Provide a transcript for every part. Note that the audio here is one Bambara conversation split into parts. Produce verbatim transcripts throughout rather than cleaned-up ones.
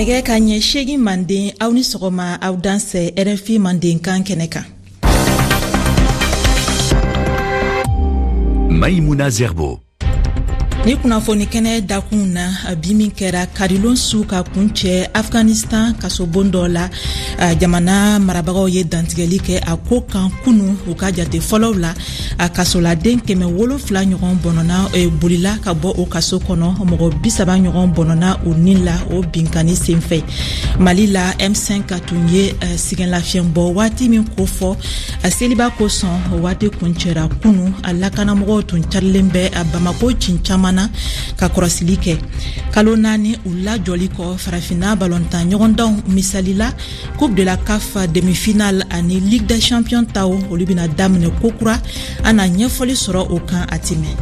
Nɛgɛ ka ɲɛ seegin manden, aw ni sɔgɔma, aw dansɛ R F I mandenkan kɛnɛ kan. Maïmouna Zerbo. Ni kunnafoni kɛnɛ dakun na bi, min kɛra karilon su ka kuncɛ Afghanistan kasobon dɔ la, jamana marabagaw ye dantigɛli kɛ a ko kan kunu. U ka jate fɔlɔw la, a kasoladen kɛmɛ wolonfila ɲɔgɔn bɔnɔna e, bolila ka bɔ o kaso kɔnɔ. Mɔgɔ bisaba ɲɔgɔn bɔnɔna u ni la o binkani senfɛ. Mali la, M cinq tun ye sɛgɛnlafiɲɛbɔ waati min kofɔ seliba kosɔn, o waati kuncɛra kunu. A lakanamɔgɔw tun carilen bɛ Bamako cin caman na ka kɔrɔsili kɛ. Kalo naani u lajɔli kɔ, Farafinna balontan ɲɔgɔndanw, misalila Coupe de la CAF demi-finale ani Ligue des champions taw, olu bɛna daminɛ kokura. An na ɲɛfɔli sɔrɔ o kan a ti mɛn.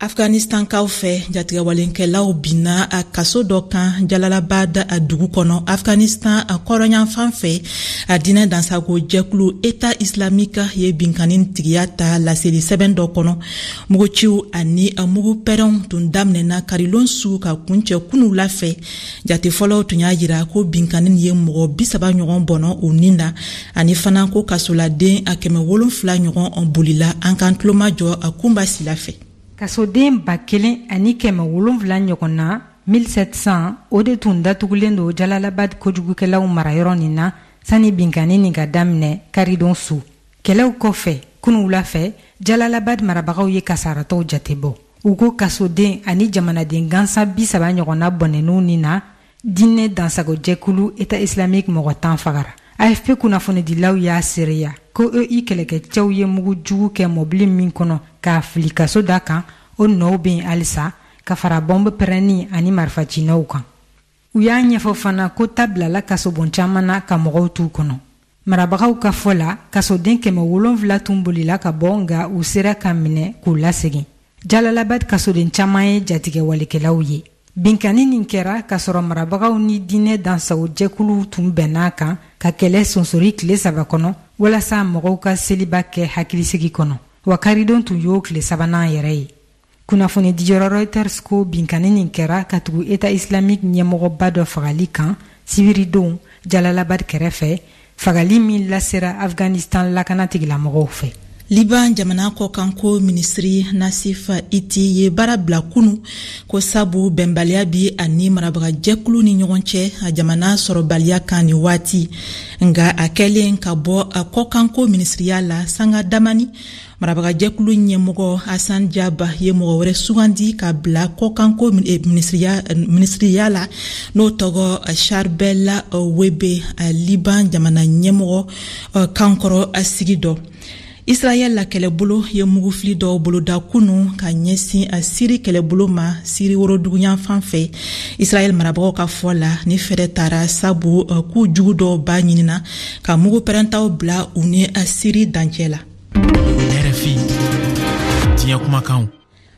Afghanistankaw fɛ, jatigɛwalenkɛlaw binna a kaso dɔ kan Jalalabad a dugu kɔnɔ, Afghanistan a kɔrɔnyanfan fɛ. A diinɛ dansago jɛkulu État islamique ye binkani tigiya ta laseli sɛbɛn dɔ kɔnɔ. Muguciw ani mugu pɛrɛnw tun daminɛna karilon su ka kuncɛ kunu la fɛ. Jate fɔlɔw tun y'a jira ko binkani ye mɔgɔ bisaba ɲɔgɔn bɔnɔ u nin na, ani fana ko kasoladen a kɛmɛ wolonfila ɲɔgɔn bolila. An k'an tulomajɔ a Kunba Sila fɛ. Kasoden ba kelen ani kɛmɛ wolonfila ɲɔgɔn na, mille sept cents, o de tun datugulen don Jalalabad kojugukɛlaw marayɔrɔ nin na sani binkani nin ka daminɛ karidon su. Kɛlɛw kɔfɛ kunu wula fɛ, Jalalabad marabagaw ye kasaratɔw jate bɔ. U ko kasoden ani jamanaden gansan bi saba ɲɔgɔnna bɔnɛn'u nin na. Diinɛ dansagojɛkulu État islamique mɔgɔ tan fagara. A F P kunnafonidilaw y'a seereya ko E I kɛlɛkɛcɛw ye mugu jugu kɛ mɔbili min kɔnɔ k'a fili kaso da kan, o nɔw bɛ yen halisa, ka fara bɔnbɔ pɛrɛnni ani marifacinɛw kan. U y'a ɲɛfɔ fana ko ta bilala kasobon caman na ka mɔgɔw t'u kɔnɔ. Marabagaw ka fɔ la, kasoden kɛmɛ wolonfila tun bolila ka bɔ, nka u sera ka minɛ k'u lasegin. Jalalabad kasoden caman ye jatigɛwalekɛlaw ye. Binkani nin kɛra k'a sɔrɔ marabagaw ni diinɛ dansago jɛkuluw tun bɛnn'a kan ka kɛlɛ sonsori tile saba kɔnɔ walasa mɔgɔw ka seliba kɛ hakilisigi kɔnɔ, wa karidon tun y'o tile sabanan yɛrɛ ye. Kunnafoni diyɔrɔ Reuters ko binkani nin kɛra ka tugu État islamique ɲɛmɔgɔba dɔ fagali kan sibiridon Jalalabad kɛrɛfɛ, fagali min lasera Afghanistan lakana tigilamɔgɔw fɛ. Liban jamana kɔkanko minisiri Nasif Iti ye baara bila kunu, ko sabu bɛnbaliya bi ani marabagajɛkulu ni ɲɔgɔn cɛ a jamana sɔrɔbaliya kan ni waati. Nga a kɛlen ka bɔ a kɔkanko minisiriya la sanga damani, marabagajɛkulu ɲɛmɔgɔ Hasan Jaba ye mɔgɔ wɛrɛ sugandi ka bila kɔkanko minisiriya la, n'o tɔgɔ Charbel Webe, Liban jamana ɲɛmɔgɔ kankɔrɔ sigi dɔ. Israɛl la kɛlɛbolo ye mugufili dɔw boloda kunu ka ɲɛsin a Siri kɛlɛbolo ma Siri woroduguyanfan fɛ. Israɛl marabagaw ka fɔ la, ni fɛɛrɛ tara sabu k'u jugu dɔw b'a ɲinina ka mugu pɛrɛntaw bila u ni Siri dancɛ la. R F I diɲɛ kumakanw.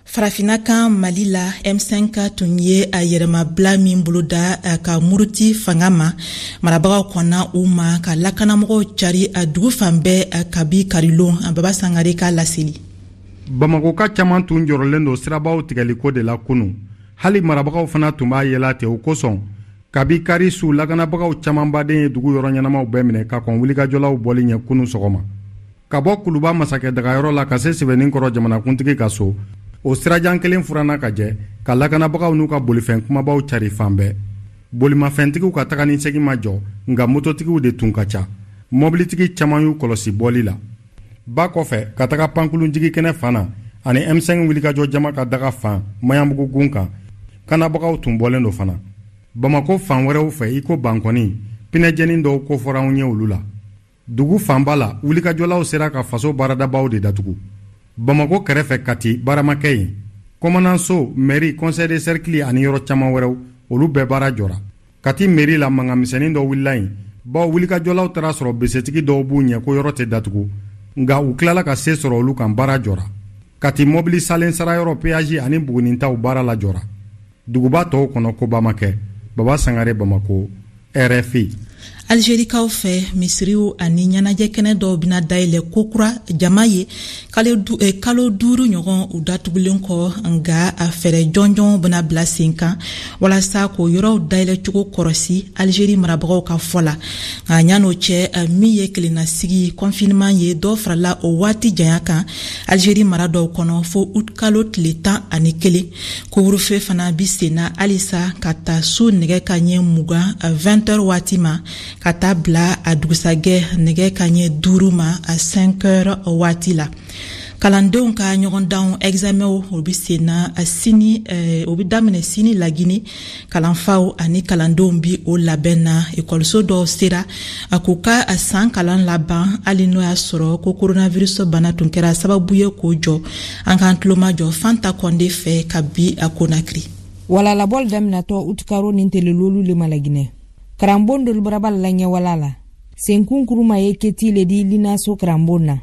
Farafina kan, Mali la, M cinq tun ye a yɛrɛmabila min boloda ka muruti fanga ma, marabagaw kɔnna u ma ka lakanamɔgɔw cari a dugu fan bɛɛ kabi karilon. Baba Sangare ka laseli. Bamakoka caman tun jɔrɔlen don sirabaw tigɛliko de la kunu. Hali marabagaw fana tun b'a yɛla ten. O kosɔn, kabi kari su, lakanabagaw camanbaden ye dugu yɔrɔ ɲɛnamaw bɛɛ minɛ ka kɔn wulikajɔlaw bɔli ɲɛ kunu sɔgɔma. Ka bɔ Kuluba masakɛ dagayɔrɔ la ka se Sɛbɛnnin kɔrɔ jamanakuntigi ka so, o sirajan kelen furanna ka jɛ ka lakanabagaw n'u ka bolifɛn kumabaw cari fan bɛɛ. Bolimafɛntigiw ka taga ni segin ma jɔ, nka mototigiw de tun ka ca. Mɔbilitigi caman y'u kɔlɔsi bɔli la ba kɔfɛ ka taga pankulunjigi kɛnɛ fan na ani M cinq wulikajɔ jama ka daga fan Maɲanbugu gun kan. Kanabagaw tun bɔlen don fana Bamako fan wɛrɛw fɛ, i ko Bankɔni. Pinɛjɛnin dɔw kofɔra anw ye olu la. Dugu fanba la, wulikajɔlaw sera ka faso baaradabaw de datugu. Bamako kɛrɛfɛ Kati, baaramakɛ yen, kɔmananso, mairie, conseil de cercle ani yɔrɔ caman wɛrɛw, olu bɛɛ baara jɔra. Kati mairie la, mankan misɛnnin dɔ wulila yen, bawo wulikajɔlaw taara sɔrɔ besetigi dɔw b'u ɲɛ ko yɔrɔ tɛ datugu, nka u tilala ka se sɔrɔ olu kan, baara jɔra. Kati mɔbili salen sarayɔrɔ, péage ani Bugunintaw baara la jɔra. Duguba tɔw kɔnɔ, koba ma kɛ. Baba Sangare, Bamako, R F I. Algerikaw fɛ, misiriw ani ɲɛnajɛ kɛnɛ dɔw bɛna dayɛlɛ kokura jama ye kalo duuru ɲɔgɔn u datugulen kɔ, nka a fɛɛrɛ jɔnjɔnw bɛna bila sen kan walasa k'o yɔrɔw dayɛlɛcogo kɔrɔsi Algérie marabagaw ka fɔ la. Nka ɲan'o cɛ, min ye kelennasigi confinement ye, dɔ farala o waati janya kan Algérie mara dɔw kɔnɔ fo août kalo tile tan ani kelen. Couvre-feu fana bi senna halisa ka taa su nɛgɛ ka ɲɛ mugan vingt heures waati ma, ka taa bila a dugusajɛ nɛgɛ ka ɲɛ duuru ma a cinq heures waati la. Kalandenw ka ɲɔgɔndanw examenw o bi senna sini, o bi daminɛ sini Lagini. Kalanfaw ani kalandenw bi o labɛn na. Ekɔliso dɔw sera a k'u ka san kalan laban hali n'o y'a sɔrɔ ko coronavirus bana tun kɛra sababu ye k'o jɔ. An k'an tulomajɔ Fanta Kɔnde fɛ ka bi a Konakiri. Walalabɔli daminatɔ utikaro ni telelolu le ma Laginɛ. Karanbon dolu bara bala la ɲɛwala la. Senkun kuruma ye keti le di linaso karanbon na.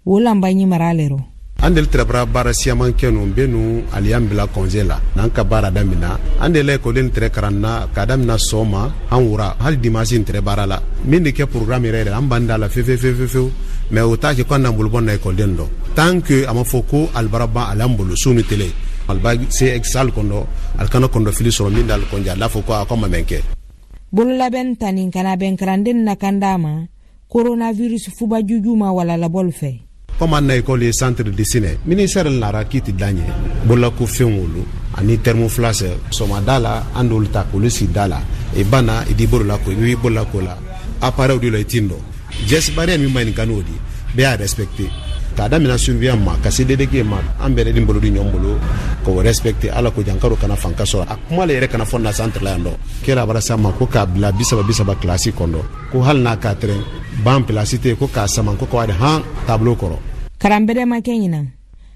O lanba ɲi mara le rɔ. An deli tɛrɛ baara siyaman kɛ nu bɛ nu aliyan bila congé la n'an ka baara damina. An de la ekɔliden tɛrɛ karan na k'a damina sɔgɔma an wura hali dimanche n tɛrɛ baara la. Min de kɛ programme yɛrɛ yɛrɛ an b'an da la fefe fefe fewu, mais o t'a kɛ ko an n'an bolo bɔ na ekɔliden dɔ tant que a ma fɔ ko alibara ban ale bolo su ni tele aliba se salle kɔnɔ ali kana kɔndɔ fili sɔrɔ min d'ale kɔnjɛ a l'a fɔ ko a ko ma mɛn kɛ. Bololabɛn ta nin kana bɛn karanden na kan d'a ma coronavirus fuba juju ma wala labɔli fɛ. Comme an na école ye centre de dessin ministère nara kiti daɲɛ bololako fɛn wolo ani thermoflash sɔgɔmada la an d'olu ta k'olu sigi da la i banna i di bolo la ko i b'i bolo la ko la appareil de la i tin dɔn geste barrière min ma nin kan n'o di bɛɛ y'a respecté k'a damina surveillant ma ka se D D G ma an bɛɛ de bolo di ɲɔgɔn bolo k'o respecté ala ko jankaro kana fanka sɔrɔ a kuma le yɛrɛ kana fɔ na centre la yan dɔ kɛra bara sa ma ko k'a bila bi saba bi saba kilasi kɔnɔ ko hali n'a ka tɛrɛn ban pilasi tɛ ko k'a sama ko k'a han tableau kɔrɔ. Karanbɛrɛ ma kɛ ɲinan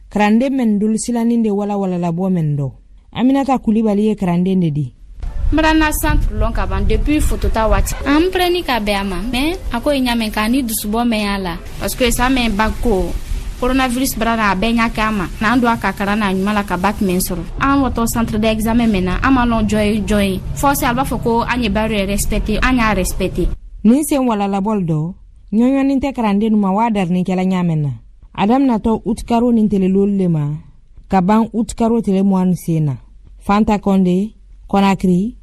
karanden mɛn dolu silanin de wala wala labɔ mɛn dɔ. Aminata Kulibali ye karanden de di. N bara na centre lɔn ka ban depuis photota waati. An preni ka bɛn a ma mais a ko ye ɲa mɛn k'a ni dusubɔ mɛn y'a la parce que sa mɛn bac ko coronavirus bara na a bɛɛ ɲa kɛ a ma n'an don a ka karan n'a ɲuman la ka bac mɛn sɔrɔ. An watɔ centre d'examen mɛn na an ma lɔn jɔn ye jɔn ye fɔ se a b'a fɔ ko an ye baara yɛrɛ respecté an y'a respecté. Nin sen wala labɔli dɔ ɲɔɲɔnin tɛ karanden ma waa darinikɛla ɲa mɛn na. A daminatɔ utikaro ni telelolu le ma ka ban utikaro tele mugan sen na. Fanta Kɔnde, Conakry,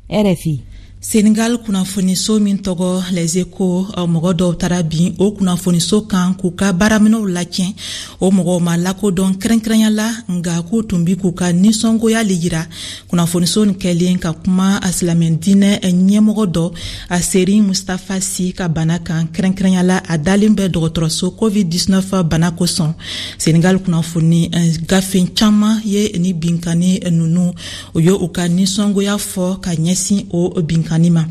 R F I. Senegal kunnafoniso min tɔgɔ Les Échos, mɔgɔ dɔw taara bin o kunnafoniso kan k'u ka baaraminɛw latiɲɛ. O mɔgɔw ma lakodɔn kɛrɛnkɛrɛnya la, nka k'u tun bi k'u ka nisɔngoya le yira kunnafoniso nin kɛlen ka kuma a silamɛ diinɛ ɲɛmɔgɔ dɔ a Serigne Moustapha Sy ka bana kan, kɛrɛnkɛrɛnya la a dalen bɛ dɔgɔtɔrɔso covid dix-neuf bana kosɔn. Senegal kunnafoni gafe caman ye ni binkanni ninnu o ye u ka nisɔngoya fɔ ka ɲɛsin o binkanni ma.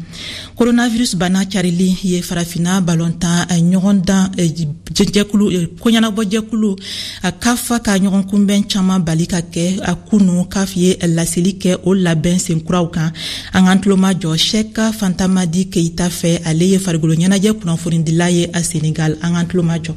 Coronavirus bana carili ye farafinna balontan ɲɔgɔndan jɛkulu koɲɛnabɔ jɛkulu a CAF ka ɲɔgɔn kunbɛn caman bali ka kɛ a kunu. CAF ye laseli kɛ o labɛn senkuraw kan. An k'an tulomajɔ Cheikh Fantamadi Keita fɛ, ale ye farikolo ɲɛnajɛ kunnafonidila ye a Senegal. An k'an tulomajɔ.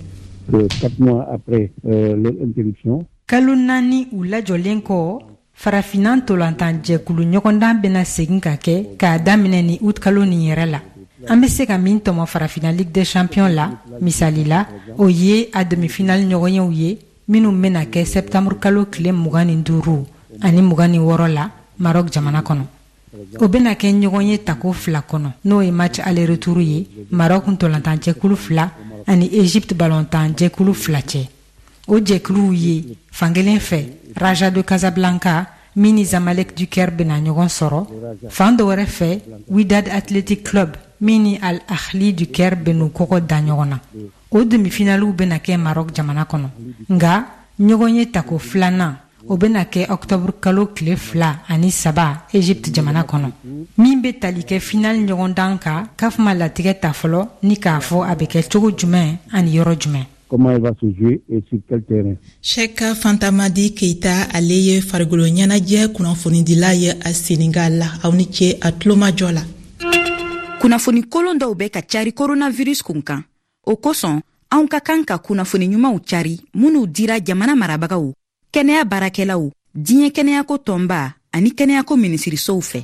Quatre mois après euh, leur interruption. Kalo naani u lajɔlen kɔ, farafinna ntolantan jɛkulu ɲɔgɔndan bɛna segin ka kɛ k'a daminɛ ni août kalo nin yɛrɛ la. An bɛ se ka min tɔmɔ farafinna Ligue des Champions la misali la, o ye a demi-finale ɲɔgɔnyew ye minnu bɛna kɛ septembre kalo tile mugan ni duuru ani mugan ni wɔɔrɔ la Maroc jamana kɔnɔ. O bɛna kɛ ɲɔgɔn ye tako fila kɔnɔ, n'o ye match aller-retour ye Maroc ntolantan jɛkulu fila ani Egypte balontan jɛkulu fila cɛ. O jɛkuluw ye fankelen fɛ Raja de Casablanca min ni Zamalek du Caire bɛna ɲɔgɔn sɔrɔ, fan dɔ wɛrɛ fɛ Wydad Athletic Club min ni Al Ahly du Caire bɛn'u kɔgɔ da ɲɔgɔn na. O demi-finaliw bɛna kɛ Maroc jamana kɔnɔ, nka ɲɔgɔn ye tako filanan o bɛna kɛ octobre kalo tile fila ani saba Egypte jamana kɔnɔ. Min bɛ tali kɛ final ɲɔgɔndan kan, CAF ma latigɛ ta fɔlɔ ni k'a fɔ a bɛ kɛ cogo jumɛn ani yɔrɔ jumɛn. Comment elle va se jouer et sur quel terrain. Cheikh Fantamadi Keita, ale ye farikolo ɲɛnajɛ kunnafonidila ye a Senegal la. Aw ni ce a tulomajɔ la. Kunnafoni kolon dɔw bɛ ka cari coronavirus kun kan. O kosɔn, anw ka kan ka kunnafoni ɲumanw cari minnu dira jamana marabagaw, kɛnɛya baarakɛlaw, diɲɛ kɛnɛyako tɔnba ani kɛnɛyako minisirisow fɛ.